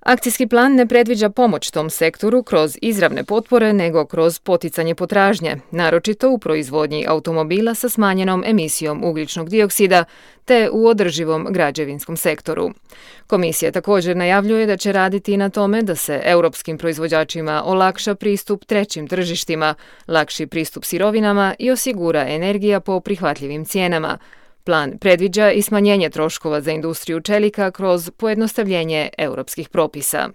Akcijski plan ne predviđa pomoć tom sektoru kroz izravne potpore, nego kroz poticanje potražnje, naročito u proizvodnji automobila sa smanjenom emisijom ugljičnog dioksida te u održivom građevinskom sektoru. Komisija također najavljuje da će raditi i na tome da se europskim proizvođačima olakša pristup trećim tržištima, lakši pristup sirovinama i osigura energija po prihvatljivim cijenama. Plan predviđa i smanjenje troškova za industriju čelika kroz pojednostavljenje europskih propisa.